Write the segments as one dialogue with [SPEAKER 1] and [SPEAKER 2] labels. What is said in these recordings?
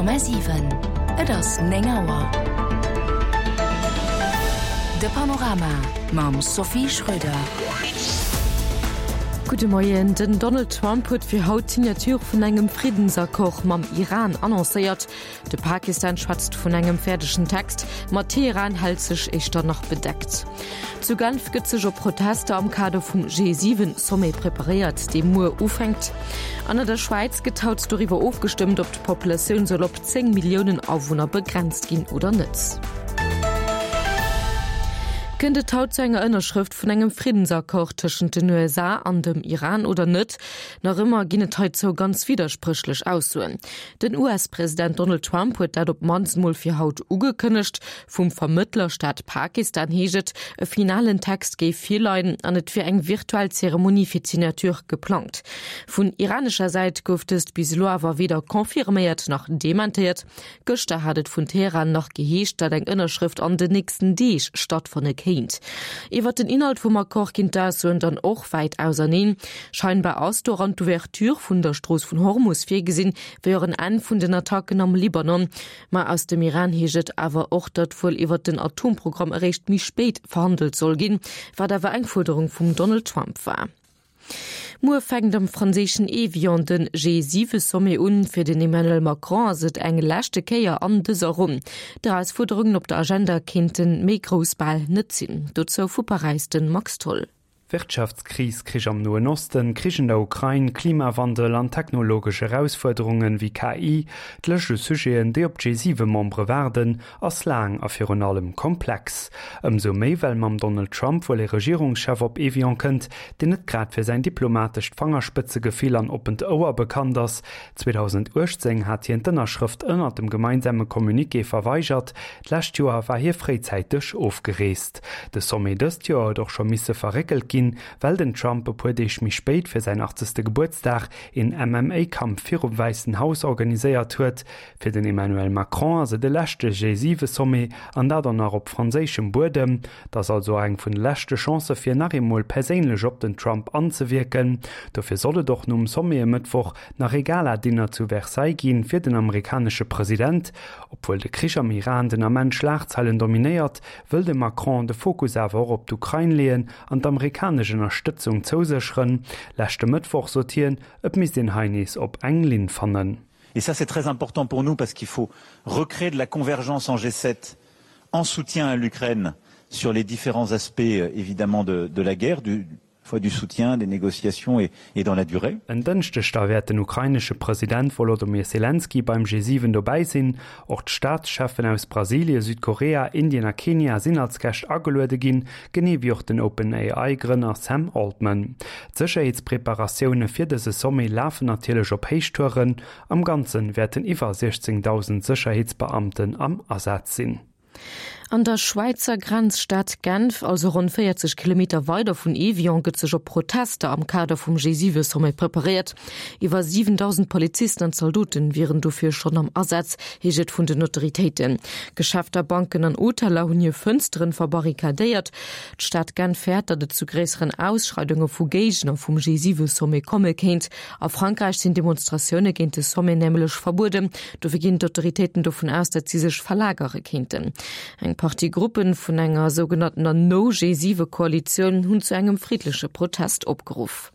[SPEAKER 1] 100,7 Et ass 9 Auer. De Panorama mam Sophie Schröder.
[SPEAKER 2] Gudde Moien. Den Donald Trump huet fir haut d'Signature vun engem Friddensaccord mam Iran annoncéiert. De Pakistan schwätzt vun engem fäerdegen Text, ma Teheran hält sech éischter nach bedeckt. Zu Genf gëtt sech op Protester am Kader vum G7-Sommet preparéiert, dee muer ufänkt. An an der Schwäiz gëtt haut doriwwer ofgestëmmt, ob d'Populatioun soll op 10 Milliounen Awunner begrenzt ginn oder net. Kënnt et haut zu enger Ënnerschrëft vun engem Friddensaccord tëschent den USA an dem Iran oder net? Nach ëmmer ginn et heizou ganz widderspréchlech Aussoen. Den US-President Donald Trump huet dat op d'mannst mol fir haut ugekënnegt. Vum Vermëttlerstaat Pakistan heescht et, e finalen Text géif virleien an et wier eng virtuell Zeremonie fir d'Signature geplangt. Vun iranescher Säit gouf dëst bis elo awer weder confirméiert nach dementéiert. Gëschter hat et vun Teheran nach geheescht, datt eng Ënnerschrëft an den nächsten Deeg stattfanne kéint. Iwwer den Inhalt vum Accord ginn d'Aussoen dann och wäit auserneen. Scheinbar ass doran d'Ouverture vun der Strooss vun Hormus virgesinn, wéi och en Enn vun den Attacken am Libanon. Ma aus dem Iran heescht et awer och, datt wuel iwwer den Atomprogramm eréischt méi spéit verhandelt soll ginn, wat awer eng Fuerderung vum Donald Trump war. Muer fänkt am franséischen Evian den G7-Sommet un. Fir den Emmanuel Macron ass et eng leschte Kéier an dëser Ronn. D'Erausfuerderungen op der Agenda kéinte méi grouss bal net sinn. Dozou vu Paräis de Max Tholl.
[SPEAKER 3] Wirtschaftskris, Krich am Noen Osten, Krich en der Ukrain, Klimawandel an technologesch Erausfuerderungen wéi KI, d'Lëscht u Sujeten, déi op d'G7-Membere waarden, ass laang a virun allem komplex. Ëmsou méi, well mam Donald Trump wuel ee Regierungschef op Evian kënnt, deen net grad fir säin diplomatescht Fangerspëtzegefill an oppent Ouer bekannt ass. 2018 hat hien d'Ënnerschrëft ënnert dem gemeinsame Communiqué verweigert, D'lescht Joer war hie fréizäiteg ofgereest. De Sommet dëst Joer huet och scho misse verréckelt ginn, well den Trump e puer Deeg méi spéit fir säin 80. Gebuertsdag een MMA-Kampf virum Wäissen Haus organiséiert huet. Fir den Emmanuel Macron ass et e leschte G7-Sommet, an dat och nach op franséischem Buedem. Et ass also och eng vun de leschte Chancë fir nach eemol perséinlech op den Trump anzewierken. Dofir soll et och nom Sommet e Mëttwoch nach ee Gala-Dinner zu Versailles ginn, fir den amerikanesche President. Obwuel de Krich am Iran den Ament Schlagzeilen dominéiert, wëll de Macron de Fokus awer och op d'Ukrain leeën an d'amerikanesch Ënnerstëtzung zousécheren. Leschte Mëttwoch sot hien, et misst een hei nees op eng Linn fannen.
[SPEAKER 4] Et ça c'est très important pour nous parce qu'il faut recréer de la convergence en G7 en soutien à l'Ukraine sur les différents aspects évidemment de, de la guerre, du, fois du soutien, des négociations et, et dans la durée.
[SPEAKER 3] En Dënschdeg da wäert den ukrainesche President Wolodymyr Selenskyj beim G7 dobäi sinn. Och d'Staatscheffen aus Brasilie, Südkorea, Indien a Kenia sinn als Gäscht ageluede ginn, genee wéi och den OpenAI-Grënner Sam Altman. D'Sécherheetspreparatioune fir dëse Sommet lafen natierlech op Héichtouren. Am Ganze wäerten iwwer 16.000 Sécherheetsbeamten am Asaz sinn.
[SPEAKER 2] An der Schwäizer Grenzstad Genf, also ronn 40 Kilometer weider vun Evian, gëtt sech op Protester am Kader vum G7-Sommet preparéiert. Iwwer 7.000 Polizisten an Zaldoten wieren dofir schonn am Asaz, heescht et vun den Autoritéiten. Geschäfter, Banken an Hoteller hunn hir Fënsteren verbarrikadéiert. D'Stad Genf fäert, datt et zu gréisseren Ausschreidunge vu Géigner vum G7-Sommet komme kéint. A Frankräich sinn Demonstratioune géint de Sommet nämlech verbueden. Dofir ginn d'Autoritéiten dovun aus, datt si sech verlagere kéinten. Eng Partie Gruppe vun enger sougenanntener No-G7-Koalitioun hunn zu engem friddleche Protest opgeruff.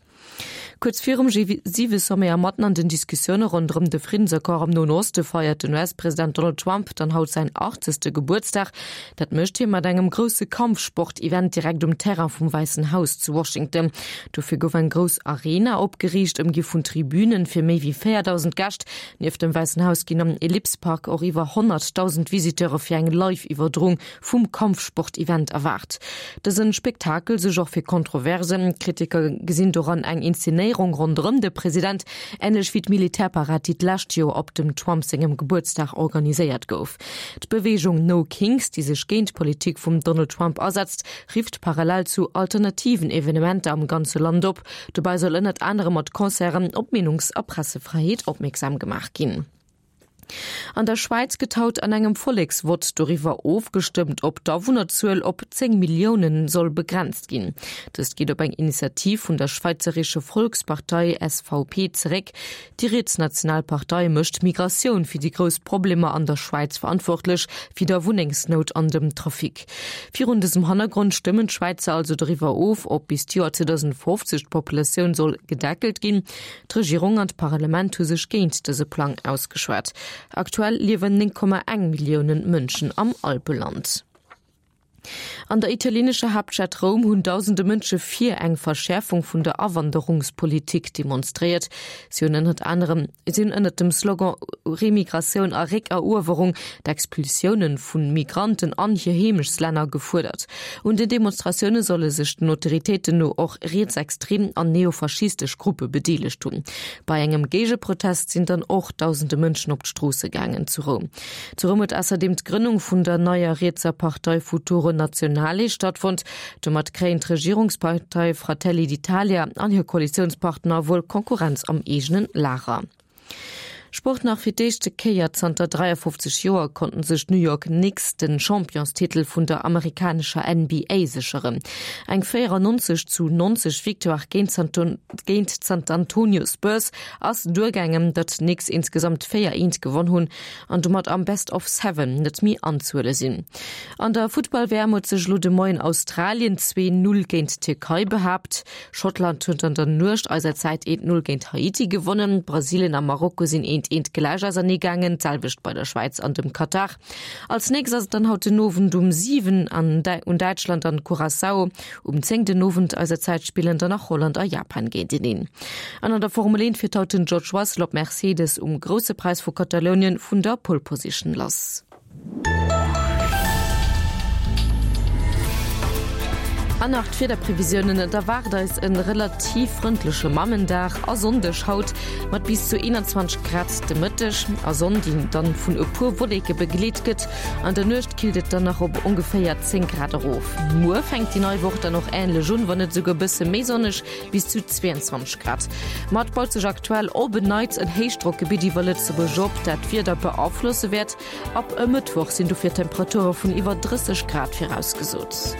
[SPEAKER 2] Kuerz virum G7-Sommet a matten an den Diskussioune ronderëm de Friddensaccord am Noen Oste feiert den US-President Donald Trump dann haut säin 80. Gebuertsdag. Dat mécht hie mat engem grousse Kampfsport-Event direkt um Terrain vum Wäissen Haus zu Washington. Dofir gouf eng grouss Arena opgeriicht, ëmgi vun Tribünen fir méi wéi 4.000 Gäscht. Nieft dem Wäissen Haus ginn am Ellipse Park och iwwer 100.000 Visiteure fir eng Live-Iwwerdroung vum Kampfsport-Event erwaart. Dësen Spektakel suergt och fir Kontroversen. Kritiker gesinn doran eng Inszenéierung ronderëm de President, änlech wéi d'Militärparad, déi d'lescht Joer op dem Trump sengem Gebuertsdag organiséiert gouf. D'Beweegung No Kings, déi sech géint d'Politik vum Donald Trump asetzt, rifft parallel zu alternativen Evenementer am ganze Land op. Dobäi soll ënnert anerem mat Concerten op d'Meenungs a Pressefräiheet opmierksam gemaach ginn. An der Schwäiz gëtt haut an engem Volleksvott doriwwer ofgestëmmt, ob d'Awunnerzuel op 10 Milliounen soll begrenzt ginn. Dëst geet op eng Initiativ vun der Schweizerische Volkspartei, SVP, zeréck. Déi rietsnational Partei mécht d'Migratioun fir déi grouss Problemer an der Schwäiz verantwortlech, wéi der Wunnengsnout an dem Trafic. Virun dësem Hannergrond stëmmen d'Schwäizer also doriwwer of, ob bis d'Joer 2050 d'Populatioun soll gedeckelt ginn. D'Regierung an d'Parlament hu sech géint dëse Plang ausgeschwat. Aktuell liewen 9,1 Millioune Mënschen am Alpeland. An der italienescher Haaptstad Roum hunn dausende Mënsche fir eng Verschäerfung vun der Awanderungspolitik demonstréiert. Si hunn ënnert anerem si hunn ënnert dem Slogan Remigratioun a Réckeruewerung d'Expulsioune vu Migranten an hir Heemechtslänner gefuerdert. Un den Demonstratioune solle sech den Autoritéiten no och rietsextrem an neofaschistesch Gruppe bedeelegt hunn. Bei engem Géigeprotest sinn dann och dausende Mënschen op d'Stroosse gaangen zu Roum. Zu Roum huet ausserdeem d'Grënnung vun der neier rietser Partei Futuro Nazionale stattfonnt. Domat kréien d'Regierungspartei Fratelli d'Italia an hir Koalitiounspartner wuel Konkurrenz am eegenen Lager. Sport nach, Fir d'éischte Kéier zanter 53 Joer konnten sech d'New York Knicks den Championstitel vun der amerikanescher NBA sécheren. Eng 94 zu 90 Victoire géint d'San Antonio Spurs ass duergaangen, datt d'Knicks insgesamt 4 eent gewonn hunn an domat am Best of Seven net méi anzehuele sinn. An der Futtball-WM huet sech elo de Moien Australien 2, 0 géint d'Tierkei behaapt. Schottland huet an der Nuecht eiser Zäit 1, 0 géint Haiti gewonnen. Brasilien a Marokko sinn 1, 1 gläich ausernee gaangen, d'selwecht bei der Schwäiz an dem Katar. Als nächst ass et dann haut den Owend um 7 an un Däitschland an Curaçao. Um 10 den Owend eiser Zäit spillen dann nach Holland a Japan géinteneen. An an der Formel 1 fiert haut den George Russell op Mercedes um Grousse Präis vu Katalounien vun der Pole Position lass. An nach d'Wiederprevisiounen, Et erwaart eis en relativ frëndleche Mammendag a Sonndeg haut mat bis zu 21 Grad de Mëtteg a Sonn, déi dann vun e puer Wolleke begleet gëtt. An der Nuecht killt et dann nach op ongeféier 10 Grad erof. Muer fänkt déi nei Woch dann och änlech un, wann net esouguer e bësse méi sonneg, bis zu 22 Grad. Ma et baut sech aktuell op en Neits en Héichdrockgebitt iwwer Lëtzebuerg op, dat d'Wieder beaflosse wäert. Ab e Mëttwoch sinn dofir Temperature vun iwwer 30 Grad virausgesot.